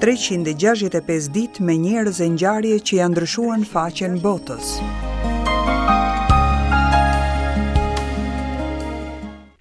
365 ditë me njerëz e ngjarje që ia ndryshuan faqen botës.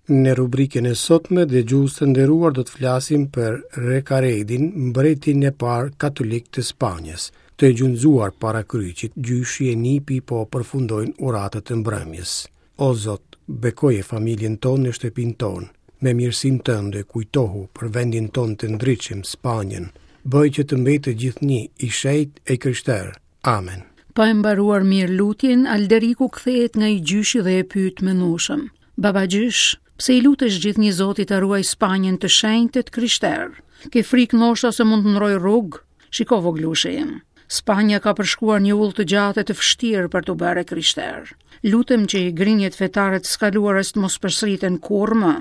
Në rubrikën e sotme, dëgjues të nderuar do të flasim për Rekaredin, mbretin e parë katolik të Spanjës. Të gjunjëzuar para kryqit, gjyshi e nipi po përfundojnë uratat e mbrëmjes. O Zot, bekoje familjen tonë në shtëpinë tonë. Me mirësinë tënde kujtohu për vendin tonë të ndritshëm, Spanjën. Bëj që të mbetet gjithnjë i shenjtë e i krishterë. Amen. Pa e mbaruar mirë lutjen, Alderiku kthehet nga i gjyshi dhe e pyet mendueshëm. Babagjysh, pse i lutesh gjithnjë Zotit ta ruajë Spanjën të shenjtë e të krishterë? Ke frikë ndoshta se mund të ndërrojë rrugë? Shiko vogëlushi im, Spanja ka përshkuar një udhë të gjatë e të vështirë për t'u bërë e krishterë. Lutem që grindjet fetare të së kaluarës të mos përsëriten kurrë më.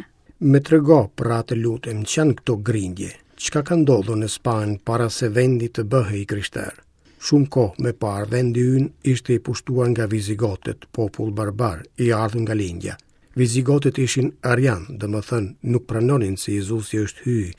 Më trego, pra të lutem, ç'janë këto grindje? Çka ka ndodhur në Spanjë para se vendi të bëhej i krishterë? Shumë kohë më parë vendi ynë ishte i pushtuar nga vizigotët, popull barbar, i ardhur nga lindja. Vizigotët ishin arianë, domethënë nuk pranonin se Jezusi është hyj,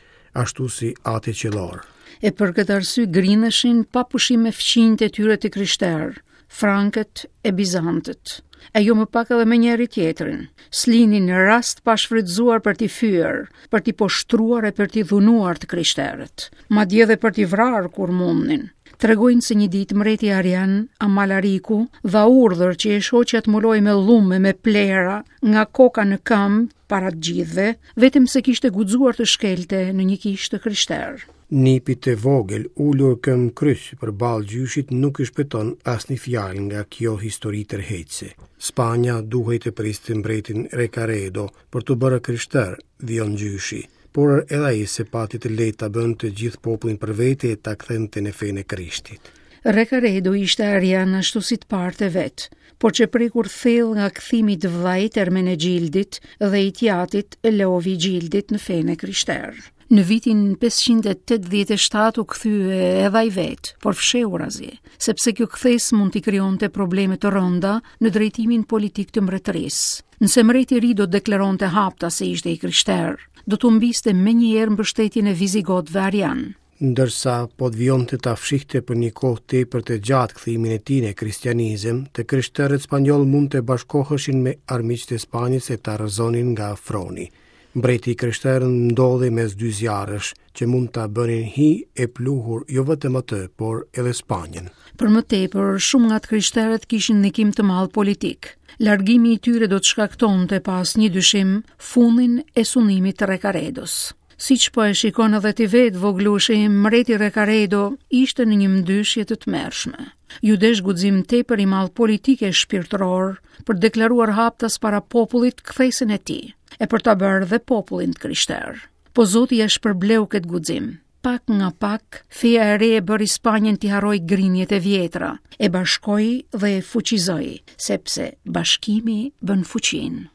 ashtu si Ati Qiellor. E për këtë arsye grindeshin pa pushim me fqinjët e tyre të krishterë, frankët e bizantët, e jo më pak edhe me njëri-tjetrin. S'linin rast pa shfrytëzuar për t'i fyer, për t'i poshtruar e për t'i dhunuar të krishterët, madje edhe për t'i vrarë kur mundnin. Tregojnë se një ditë mbreti arian Amalariku dha urdhër që e shoqja të mbulohej me llum e me plehra nga koka në këmbë para të gjithëve, vetëm se kishte guxuar të shkelte në një kishë të krishterë. Nipit të vogël, ulur këmbëkryq përballë gjyshit nuk i shpëton asnjë fjalë nga kjo histori tërheqëse. Spanja duhej të priste mbretin Rekaredo për t'u bërë e krishterë, vijon gjyshi. Por edhe ai s'e pati të lehtë ta bënte gjithë popullin për vete e ta kthente në fenë e Krishtit. Rekaredo ishte arian ashtu si të parët e vet, por qe prekur thellë nga kthimi i të vëllait Ermenegjildit dhe i të jatit Leovigjildit në fenë e krishterë. Në vitin 587 u kthye edhe ai vetë, por fshehurazi, sepse kjo kthesë mund t'i krijonte probleme të rënda në drejtimin politik të mbretërisë. Nëse mbreti i ri do të deklaronte haptas se ishte i krishterë, do të humbiste menjëherë mbështetjen e vizigotëve arianë. Ndërsa po të vijonte ta fshihte për një kohë tepër të gjatë kthimin e tij në kristianizëm, të krishterët spanjollë mund të bashkoheshin me armiqtë e Spanjës e ta rrëzonin nga froni. Mbreti i krishterë ndodhej mes dy zjarresh, që mund ta bënin hi e pluhur jo vetëm atë, por edhe Spanjën. Për më tepër, shumë nga të krishterët kishin ndikim të madh politik. Largimi i tyre do të shkaktonte pa asnjë dyshim fundin e sundimit të Rekaredos. Siç po e shikon edhe ti vetë, vogëlushi im, mbreti Rekaredo ishte në një mëdyshje të tmerrshme. Iu desh guxim tepër i madh politik e shpirtëror për të deklaruar haptas para popullit kthesën e tij, e për ta bërë dhe popullin të krishterë. Po Zoti ia shpërbleu këtë guxim. Pak nga pak, feja e re e bëri Spanjën t'i harrojë grindjet e vjetra, e bashkoi dhe e fuqizoi, sepse bashkimi bën fuqinë.